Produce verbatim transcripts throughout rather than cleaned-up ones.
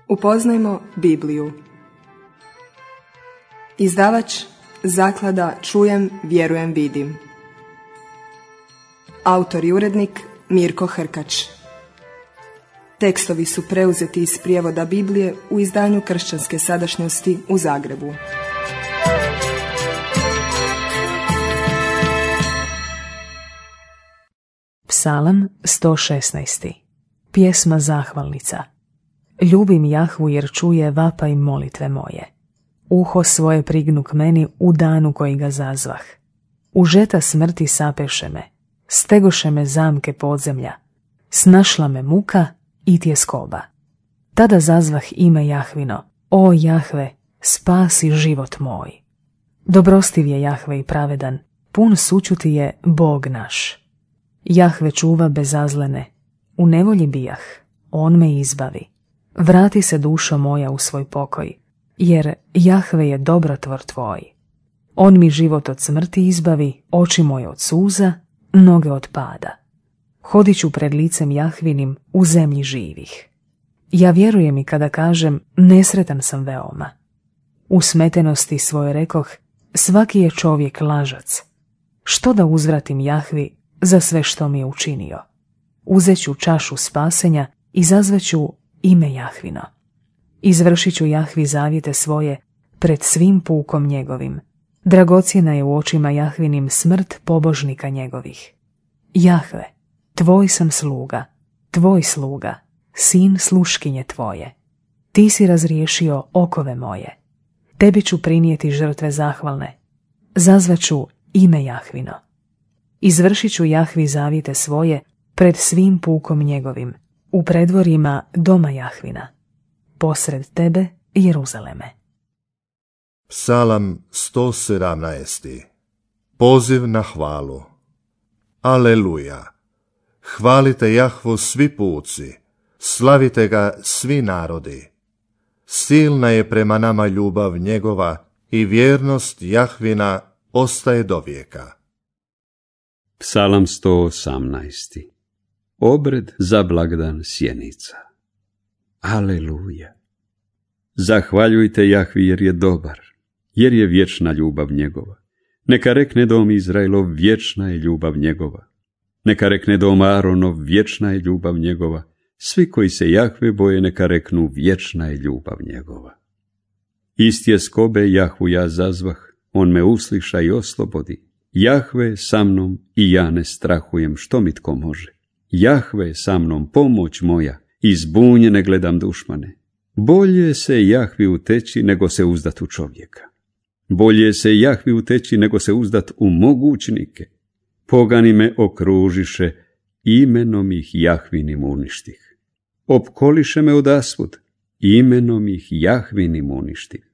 Upoznajmo Bibliju. Izdavač Zaklada Čujem, vjerujem, vidim. Autor i urednik Mirko Hrkač. Tekstovi su preuzeti iz prijevoda Biblije u izdanju Kršćanske sadašnjosti u Zagrebu. Psalam sto šesnaest. Pjesma zahvalnica. Ljubim Jahvu jer čuje vapaj molitve moje. Uho svoje prignu k meni u danu koji ga zazvah. U žeta smrti sapeše me, stegoše me zamke podzemlja, snašla me muka i tjeskoba. Tada zazvah ime Jahvino, o Jahve, spasi život moj. Dobrostiv je Jahve i pravedan, pun sućuti je Bog naš. Jahve čuva bezazlene, u nevolji bijah, on me izbavi. Vrati se dušo moja u svoj pokoj, jer Jahve je dobrotvor tvoj. On mi život od smrti izbavi, oči moje od suza, noge od pada. Hodit ću pred licem Jahvinim u zemlji živih. Ja vjerujem i kada kažem, nesretan sam veoma. U smetenosti svoje rekoh, svaki je čovjek lažac. Što da uzvratim Jahvi za sve što mi je učinio? Uzet ću čašu spasenja i zazvaću ime Jahvino. Izvršit ću Jahvi zavjete svoje pred svim pukom njegovim. Dragocjena je u očima Jahvinim smrt pobožnika njegovih. Jahve, tvoj sam sluga, tvoj sluga, sin sluškinje tvoje. Ti si razriješio okove moje. Tebi ću prinijeti žrtve zahvalne. Zazvaću ime Jahvino. Izvršit ću Jahvi zavjete svoje pred svim pukom njegovim, u predvorima doma Jahvina. Posred tebe, Jeruzaleme. Psalam sto sedamnaest. Poziv na hvalu. Aleluja! Hvalite Jahvu svi puci, slavite ga svi narodi. Silna je prema nama ljubav njegova i vjernost Jahvina ostaje do vijeka. Psalam sto osamnaest. Obred za blagdan sjenica. Aleluja! Zahvaljujte Jahvi jer je dobar, jer je vječna ljubav njegova. Neka rekne dom Izraelov, vječna je ljubav njegova. Neka rekne dom Aronov, vječna je ljubav njegova. Svi koji se Jahve boje, neka reknu, vječna je ljubav njegova. Iz tjeskobe Jahvu ja zazvah, on me usliša i oslobodi. Jahve je sa mnom i ja ne strahujem, što mi tko može. Jahve je sa mnom, pomoć moja, i zbunjene gledam dušmane. Bolje se Jahvi uteći nego se uzdat u čovjeka. Bolje se Jahvi uteći nego se uzdat u mogućnike. Pogani me okružiše, imenom ih Jahvinim uništih. Opkoliše me odasvud, imenom ih Jahvinim uništih.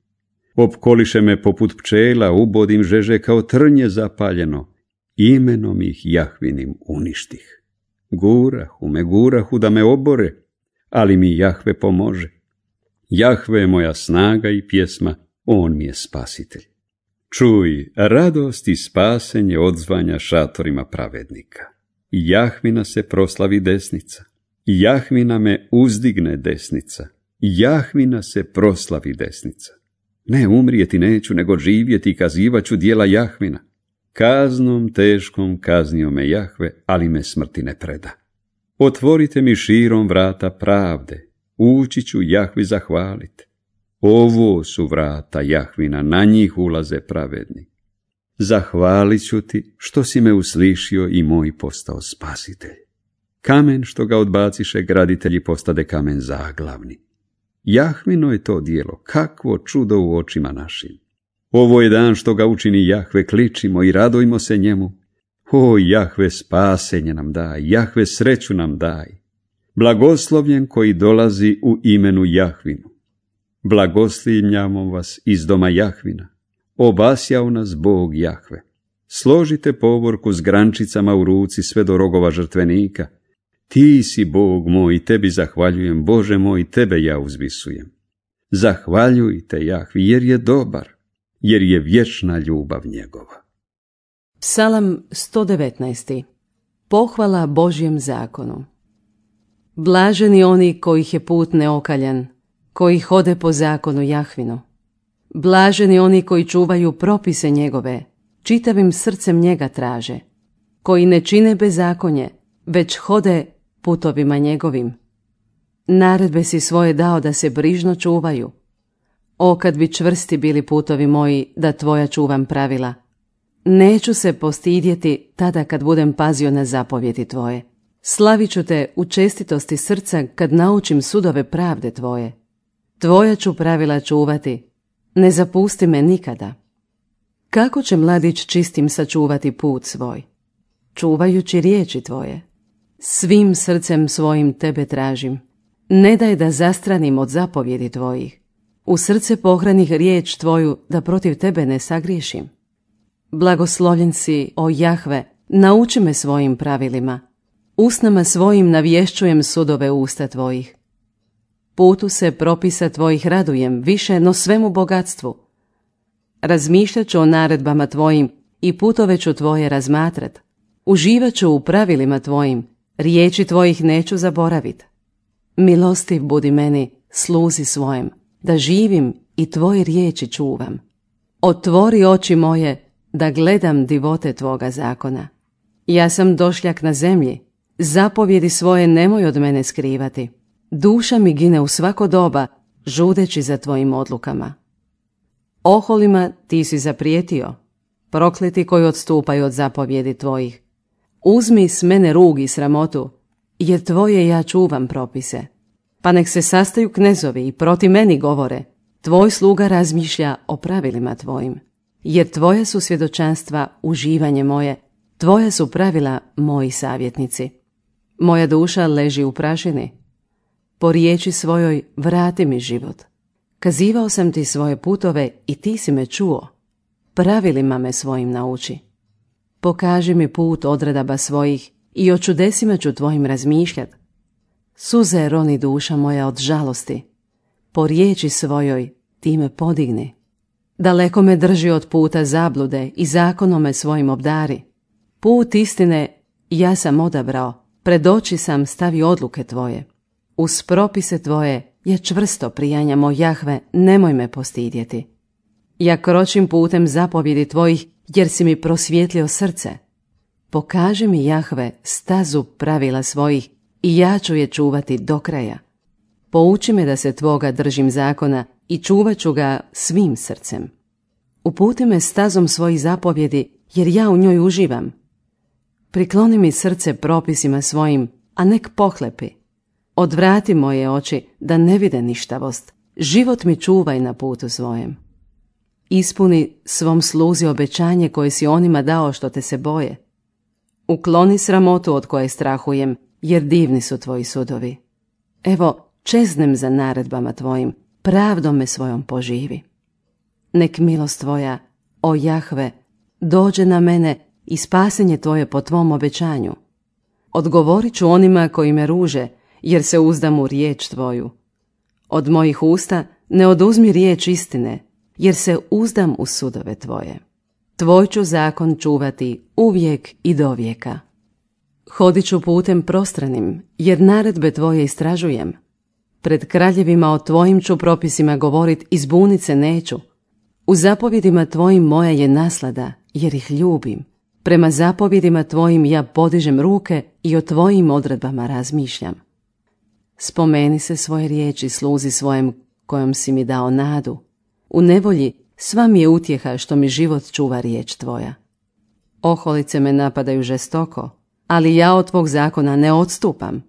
Opkoliše me poput pčela, ubodim žeže kao trnje zapaljeno, imenom ih Jahvinim uništih. Gurahu me, gurahu da me obore, ali mi Jahve pomože. Jahve je moja snaga i pjesma, on mi je spasitelj. Čuj, radost i spasenje odzvanja šatorima pravednika. Jahvina se proslavi desnica. Jahvina me uzdigne desnica. Jahvina se proslavi desnica. Ne umrijeti neću, nego živjeti i kazivaću djela Jahvina. Kaznom teškom kaznio me Jahve, ali me smrti ne preda. Otvorite mi širom vrata pravde, ući ću Jahvi zahvaliti. Ovo su vrata Jahvina, na njih ulaze pravedni. Zahvalit ću ti što si me uslišio i moj postao spasitelj. Kamen što ga odbaciše graditelji postade kamen zaglavni. Jahvino je to djelo, kakvo čudo u očima našim. Ovo je dan što ga učini Jahve, kličimo i radojmo se njemu. O Jahve, spasenje nam daj, Jahve, sreću nam daj. Blagoslovljen koji dolazi u imenu Jahvinu. Blagoslivljamo vas iz doma Jahvina. Obasjao nas Bog Jahve. Složite povorku s grančicama u ruci sve do rogova žrtvenika. Ti si Bog moj, tebi zahvaljujem, Bože moj, tebe ja uzvisujem. Zahvaljujte Jahvi jer je dobar, jer je vječna ljubav njegova. Psalam sto devetnaest. Pohvala Božjem zakonu. Blaženi oni kojih je put neokaljan, koji hode po zakonu Jahvinu. Blaženi oni koji čuvaju propise njegove, čitavim srcem njega traže, koji ne čine bezakonje, već hode putovima njegovim. Naredbe si svoje dao da se brižno čuvaju. O, kad bi čvrsti bili putovi moji, da tvoja čuvam pravila. Neću se postidjeti tada kad budem pazio na zapovjedi tvoje. Slavit ću te u čestitosti srca kad naučim sudove pravde tvoje. Tvoja ću pravila čuvati, ne zapusti me nikada. Kako će mladić čistim sačuvati put svoj? Čuvajući riječi tvoje. Svim srcem svojim tebe tražim. Ne daj da zastranim od zapovjedi tvojih. U srce pohranih riječ tvoju da protiv tebe ne sagriješim. Blagoslovljen si, o Jahve, nauči me svojim pravilima. Usnama svojim navješćujem sudove usta tvojih. Putu se propisa tvojih radujem, više no svemu bogatstvu. Razmišljat ću o naredbama tvojim i putove ću tvoje razmatrat. Uživat ću u pravilima tvojim, riječi tvojih neću zaboravit. Milostiv budi meni, sluzi svojem, da živim i tvoje riječi čuvam. Otvori oči moje, da gledam divote tvoga zakona. Ja sam došljak na zemlji, zapovjedi svoje nemoj od mene skrivati. Duša mi gine u svako doba, žudeći za tvojim odlukama. Oholima ti si zaprijetio, prokleti koji odstupaju od zapovjedi tvojih. Uzmi s mene rug i sramotu, jer tvoje ja čuvam propise. Pa nek se sastaju knezovi i proti meni govore, tvoj sluga razmišlja o pravilima tvojim. Jer tvoja su svjedočanstva uživanje moje, tvoja su pravila moji savjetnici. Moja duša leži u prašini. Po riječi svojoj vrati mi život. Kazivao sam ti svoje putove i ti si me čuo. Pravilima me svojim nauči. Pokaži mi put odredaba svojih i o čudesima ću tvojim razmišljat. Suze roni duša moja od žalosti. Po riječi svojoj ti me podigni. Daleko me drži od puta zablude i zakonome svojim obdari. Put istine ja sam odabrao, pred oči sam stavio odluke tvoje. Uz propise tvoje ja čvrsto prijanjam, o Jahve, nemoj me postidjeti. Ja kročim putem zapovjedi tvojih, jer si mi prosvjetlio srce. Pokaži mi, Jahve, stazu pravila svojih i ja ću je čuvati do kraja. Pouči me da se tvoga držim zakona i čuvat ću ga svim srcem. Uputi me stazom svojih zapovjedi, jer ja u njoj uživam. Prikloni mi srce propisima svojim, a nek pohlepi. Odvrati moje oči da ne vide ništavost. Život mi čuvaj na putu svojem. Ispuni svom sluzi obećanje koje si onima dao što te se boje. Ukloni sramotu od koje strahujem, jer divni su tvoji sudovi. Evo, čeznem za naredbama tvojim, pravdom me svojom poživi. Nek milost tvoja, o Jahve, dođe na mene i spasenje tvoje po tvom obećanju. Odgovorit ću onima koji me ruže, jer se uzdam u riječ tvoju. Od mojih usta ne oduzmi riječ istine, jer se uzdam u sudove tvoje. Tvoj ću zakon čuvati uvijek i do vijeka. Hodit ću putem prostranim, jer naredbe tvoje istražujem. Pred kraljevima o tvojim ću propisima govorit i zbunit se neću. U zapovjedima tvojim moja je naslada, jer ih ljubim. Prema zapovjedima tvojim ja podižem ruke i o tvojim odredbama razmišljam. Spomeni se svoje riječi sluzi svojem kojom si mi dao nadu. U nevolji sva mi je utjeha što mi život čuva riječ tvoja. Oholice me napadaju žestoko, ali ja od tvog zakona ne odstupam.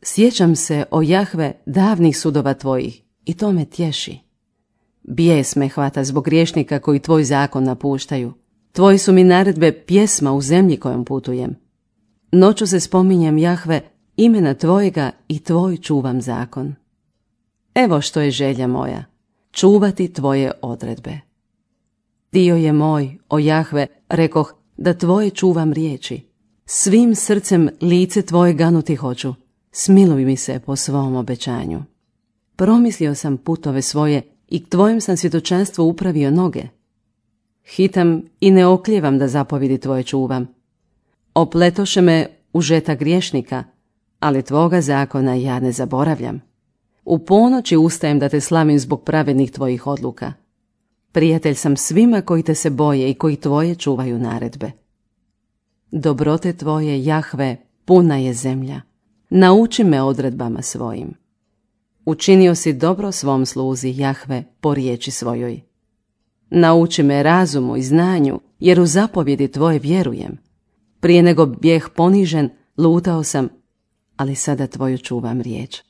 Sjećam se, o Jahve, davnih sudova tvojih i to me tješi. Bijes me hvata zbog griješnika koji tvoj zakon napuštaju. Tvoji su mi naredbe pjesma u zemlji kojom putujem. Noću se spominjem, Jahve, imena tvojega i tvoj čuvam zakon. Evo što je želja moja, čuvati tvoje odredbe. Dio je moj, o Jahve, rekoh, da tvoje čuvam riječi. Svim srcem lice tvoje ganuti hoću, smiluj mi se po svom obećanju. Promislio sam putove svoje i k tvojem sam svjedočanstvu upravio noge. Hitam i ne okljevam da zapovjedi tvoje čuvam. Opletoše me u žeta griješnika, ali tvoga zakona ja ne zaboravljam. U ponoći ustajem da te slavim zbog pravednih tvojih odluka. Prijatelj sam svima koji te se boje i koji tvoje čuvaju naredbe. Dobrote tvoje, Jahve, puna je zemlja. Nauči me odredbama svojim. Učinio si dobro svom sluzi, Jahve, po riječi svojoj. Nauči me razumu i znanju, jer u zapovjedi tvoje vjerujem. Prije nego bijeh ponižen, lutao sam, ali sada tvoju čuvam riječ.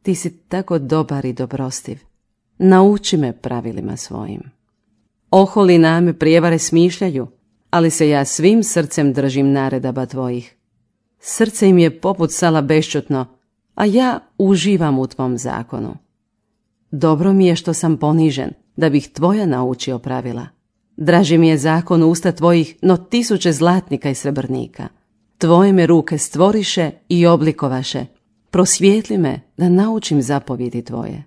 Ti si tako dobar i dobrostiv. Nauči me pravilima svojim. Oholi name prijevare smišljaju, ali se ja svim srcem držim naredaba tvojih. Srce im je poput sala bešćutno, a ja uživam u tvom zakonu. Dobro mi je što sam ponižen, da bih tvoja naučio pravila. Draži mi je zakon usta tvojih, no tisuće zlatnika i srebrnika. Tvoje me ruke stvoriše i oblikovaše. Prosvijetli me da naučim zapovjedi tvoje.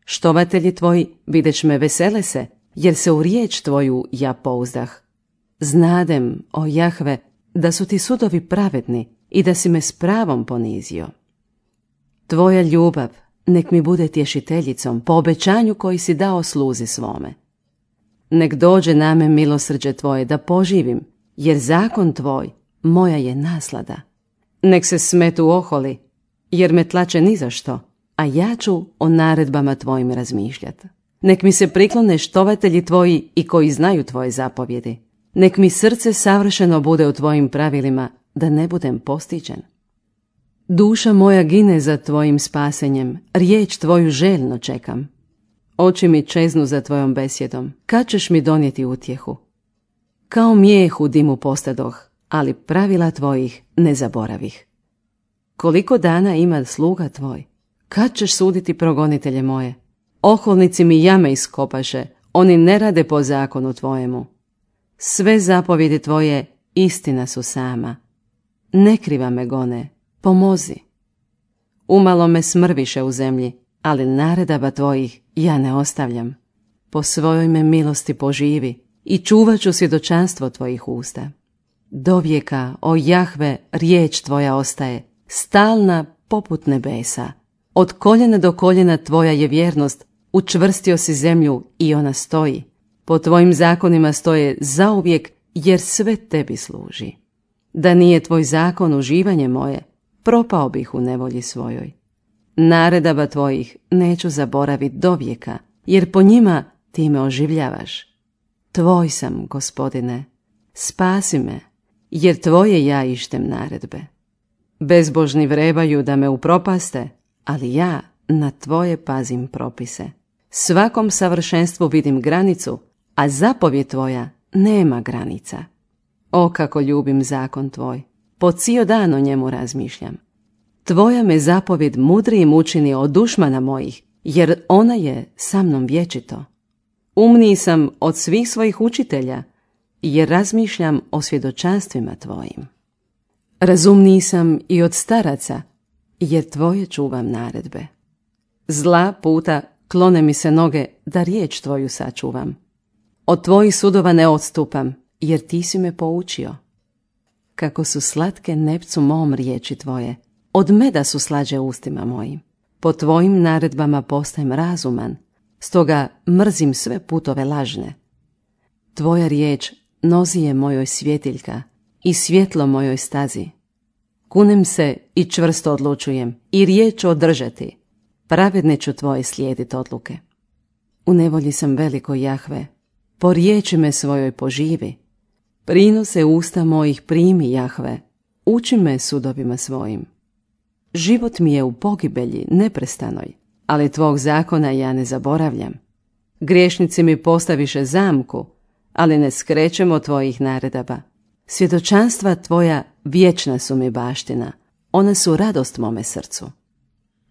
Štovatelji tvoji videć me vesele se, jer se u riječ tvoju ja pouzdah. Znadem, o Jahve, da su ti sudovi pravedni i da si me s pravom ponizio. Tvoja ljubav nek mi bude tješiteljicom po obećanju koji si dao sluzi svome. Nek dođe na me milosrđe tvoje da poživim, jer zakon tvoj moja je naslada. Nek se smetu oholi, jer me tlače ni za što, a ja ću o naredbama tvojim razmišljati. Nek mi se priklone štovatelji tvoji i koji znaju tvoje zapovjedi. Nek mi srce savršeno bude u tvojim pravilima, da ne budem postiđen. Duša moja gine za tvojim spasenjem, riječ tvoju željno čekam. Oči mi čeznu za tvojom besjedom, kad ćeš mi donijeti utjehu? Kao mijeh u dimu postadoh, ali pravila tvojih ne zaboravih. Koliko dana ima sluga tvoj? Kad ćeš suditi progonitelje moje? Oholnici mi jame iskopaše, oni ne rade po zakonu tvojemu. Sve zapovjedi tvoje istina su sama. Ne kriva me gone, pomozi. Umalo me smrviše u zemlji, ali naredaba tvojih ja ne ostavljam. Po svojoj me milosti poživi i čuvat ću svjedočanstvo tvojih usta. Dovijeka, o Jahve, riječ tvoja ostaje, stalna poput nebesa. Od koljena do koljena tvoja je vjernost, učvrstio si zemlju i ona stoji. Po tvojim zakonima stoje zauvijek, jer sve tebi služi. Da nije tvoj zakon uživanje moje, propao bih u nevolji svojoj. Naredaba tvojih neću zaboraviti do vijeka, jer po njima ti me oživljavaš. Tvoj sam, Gospodine, spasi me, jer tvoje ja ištem naredbe. Bezbožni vrebaju da me upropaste, ali ja na tvoje pazim propise. Svakom savršenstvu vidim granicu, a zapovjed tvoja nema granica. O, kako ljubim zakon tvoj, po cijel dan o njemu razmišljam. Tvoja me zapovjed mudrijim učini od dušmana mojih, jer ona je sa mnom vječito. Umniji sam od svih svojih učitelja, jer razmišljam o svjedočanstvima tvojim. Razumniji sam i od staraca, jer tvoje čuvam naredbe. Zla puta klone mi se noge, da riječ tvoju sačuvam. Od tvojih sudova ne odstupam, jer ti si me poučio. Kako su slatke nepcu mom riječi tvoje, od meda su slađe ustima mojim. Po tvojim naredbama postajem razuman, stoga mrzim sve putove lažne. Tvoja riječ nozi je mojoj svjetiljka i svjetlo mojoj stazi. Kunem se i čvrsto odlučujem i riječ ću održati. Pravedne ću tvoje slijediti odluke. U nevolji sam veliko, Jahve, po riječi me svojoj poživi. Prinose usta mojih primi, Jahve, uči me sudovima svojim. Život mi je u pogibelji neprestanoj, ali tvog zakona ja ne zaboravljam. Griješnici mi postaviše zamku, ali ne skrećem od tvojih naredaba. Svjedočanstva tvoja vječna su mi baština, one su radost mome srcu.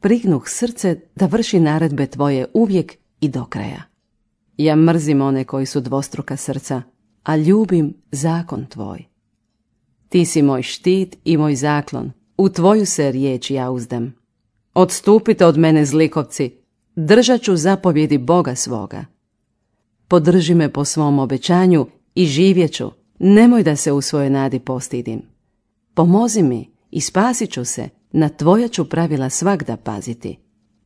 Prignuh srce da vrši naredbe tvoje uvijek i do kraja. Ja mrzim one koji su dvostruka srca, a ljubim zakon tvoj. Ti si moj štit i moj zaklon, u tvoju se riječ ja uzdam. Odstupite od mene, zlikovci, držat ću zapovjedi Boga svoga. Podrži me po svom obećanju i živjet ću, nemoj da se u svojoj nadi postidim. Pomozi mi i spasit ću se, na tvoja ću pravila svagda paziti.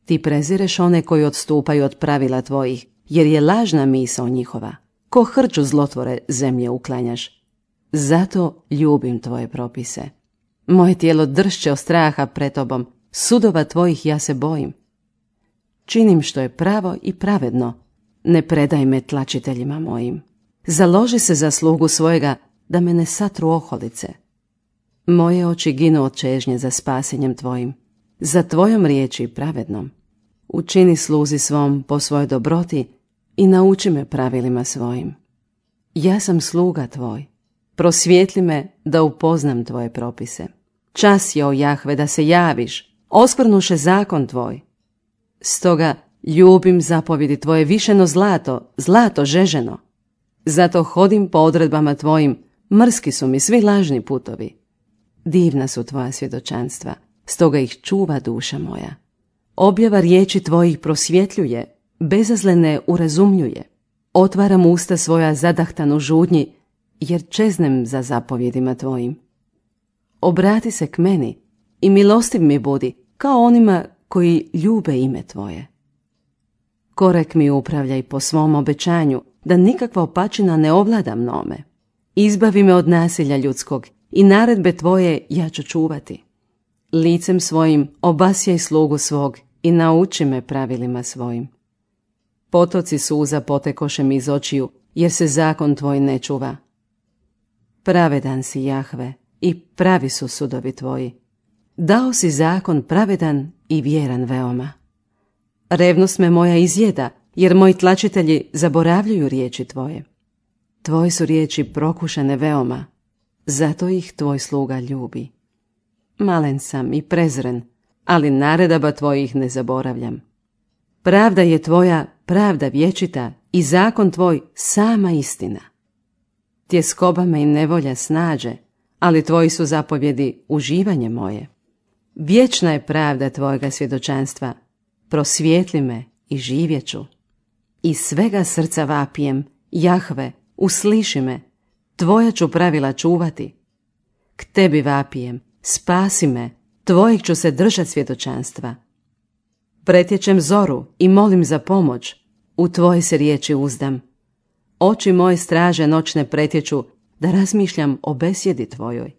Ti prezireš one koji odstupaju od pravila tvojih, jer je lažna misao njihova. Ko hrču zlotvore zemlje uklanjaš. Zato ljubim tvoje propise. Moje tijelo dršće od straha pred tobom, sudova tvojih ja se bojim. Činim što je pravo i pravedno, ne predaj me tlačiteljima mojim. Založi se za slugu svojega, da me ne satru oholice. Moje oči ginu od čežnje za spasenjem tvojim, za tvojom riječi pravednom. Učini sluzi svom po svojoj dobroti i nauči me pravilima svojim. Ja sam sluga tvoj, prosvijetli me da upoznam tvoje propise. Čas je, o Jahve, da se javiš, oskvrnuše zakon tvoj. Stoga ljubim zapovjedi tvoje više no zlato, zlato žeženo. Zato hodim po odredbama tvojim, mrski su mi svi lažni putovi. Divna su tvoja svjedočanstva, stoga ih čuva duša moja. Objava riječi tvojih prosvjetljuje, bezazlene urazumljuje. Otvaram usta svoja zadahtanu žudnji, jer čeznem za zapovjedima tvojim. Obrati se k meni i milostiv mi budi, kao onima koji ljube ime tvoje. Korek mi upravljaj po svom obećanju, da nikakva opačina ne ovlada mnome. Izbavi me od nasilja ljudskog i naredbe tvoje ja ću čuvati. Licem svojim obasjaj slugu svog i nauči me pravilima svojim. Potoci suza potekoše mi iz očiju, jer se zakon tvoj ne čuva. Pravedan si, Jahve, i pravi su sudovi tvoji. Dao si zakon pravedan i vjeran veoma. Revnost me moja izjeda, jer moji tlačitelji zaboravljaju riječi tvoje. Tvoje su riječi prokušane veoma, zato ih tvoj sluga ljubi. Malen sam i prezren, ali naredaba tvojih ne zaboravljam. Pravda je tvoja, pravda vječita, i zakon tvoj sama istina. Tjeskoba me i nevolja snađe, ali tvoji su zapovjedi uživanje moje. Vječna je pravda tvojega svjedočanstva, prosvijetli me i živjet ću. Iz svega srca vapijem, Jahve, usliši me, tvoja ću pravila čuvati. K tebi vapijem, spasi me, tvojih ću se držat svjedočanstva. Pretječem zoru i molim za pomoć, u tvoje se riječi uzdam. Oči moje straže noćne pretječu, da razmišljam o besjedi tvojoj.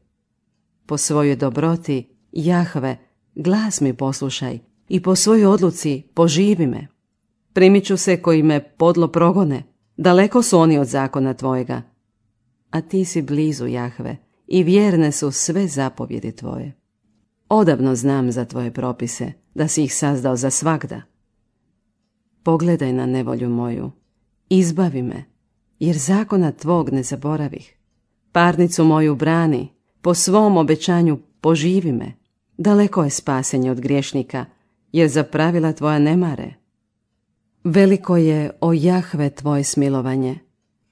Po svojoj dobroti, Jahve, glas mi poslušaj i po svojoj odluci poživi me. Primit ću se koji me podlo progone, daleko su oni od zakona tvojega. A ti si blizu, Jahve, i vjerne su sve zapovjedi tvoje. Odavno znam za tvoje propise, da si ih sazdao za svagda. Pogledaj na nevolju moju, izbavi me, jer zakona tvog ne zaboravih. Parnicu moju brani, po svom obećanju poživi me. Daleko je spasenje od griješnika, jer za pravila tvoja ne mare. Veliko je, o Jahve, tvoje smilovanje,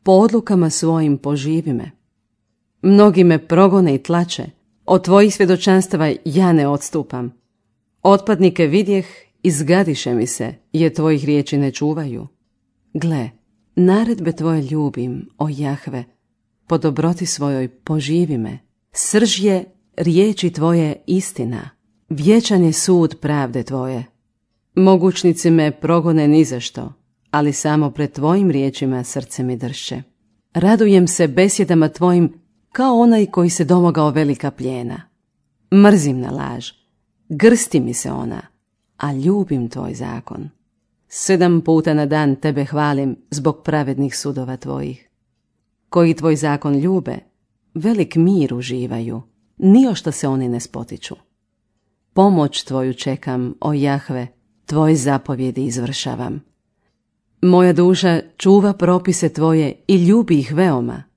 po odlukama svojim poživi me. Mnogi me progone i tlače, od tvojih svjedočanstava ja ne odstupam. Otpadnike vidjeh, izgadiše mi se, jer tvojih riječi ne čuvaju. Gle, naredbe tvoje ljubim, o Jahve, po dobroti svojoj poživi me. Srž je riječi tvoje istina, vječan je sud pravde tvoje. Mogućnici me progone nizašto, ali samo pred tvojim riječima srce mi dršće. Radujem se besjedama tvojim kao onaj koji se domogao velika plijena. Mrzim na laž, grsti mi se ona, a ljubim tvoj zakon. Sedam puta na dan tebe hvalim zbog pravednih sudova tvojih. Koji tvoj zakon ljube, velik mir uživaju, ni o što se oni ne spotiču. Pomoć tvoju čekam, o Jahve, tvoje zapovjedi izvršavam. Moja duša čuva propise tvoje i ljubi ih veoma.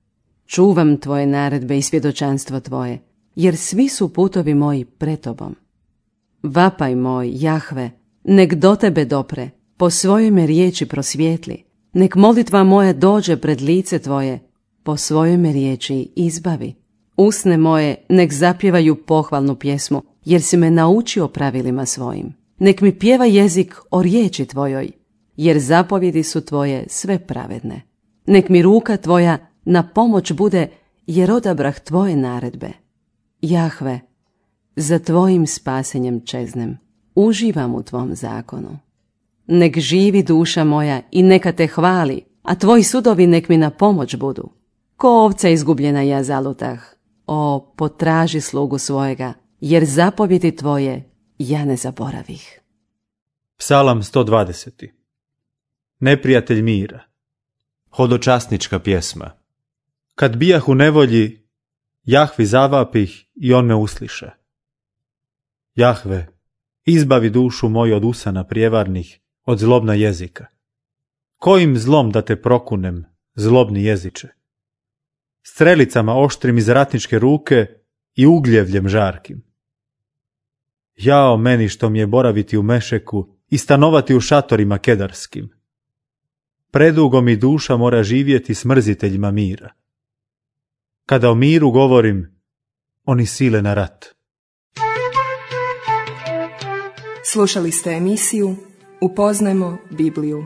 Čuvam tvoje naredbe i svjedočanstvo tvoje, jer svi su putovi moji pred tobom. Vapaj moj, Jahve, nek do tebe dopre, po svojoj me riječi prosvijetli, nek molitva moja dođe pred lice tvoje, po svojoj me riječi izbavi. Usne moje nek zapjevaju pohvalnu pjesmu, jer si me naučio pravilima svojim. Nek mi pjeva jezik o riječi tvojoj, jer zapovjedi su tvoje sve pravedne. Nek mi ruka tvoja na pomoć bude, jer odabrah tvoje naredbe. Jahve, za tvojim spasenjem čeznem. uživam u tvom zakonu. Nek živi duša moja i neka te hvali, a tvoji sudovi nek mi na pomoć budu. Ko ovca izgubljena ja zalutah, o, potraži slugu svojega, jer zapovjedi tvoje ja ne zaboravih. Psalam sto dvadeset. Neprijatelj mira. Hodočasnička pjesma. Kad bijah u nevolji, Jahvi zavapih i on me usliše. Jahve, izbavi dušu moju od usana prijevarnih, od zlobna jezika. Kojim zlom da te prokunem, zlobni jeziče? Strelicama oštrim iz ratničke ruke i ugljevljem žarkim. Jao meni što mi je boraviti u Mešeku i stanovati u šatorima kedarskim. Predugo mi duša mora živjeti s mrziteljima mira. Kada o miru govorim, oni sile na rat. Slušali ste emisiju Upoznajmo Bibliju.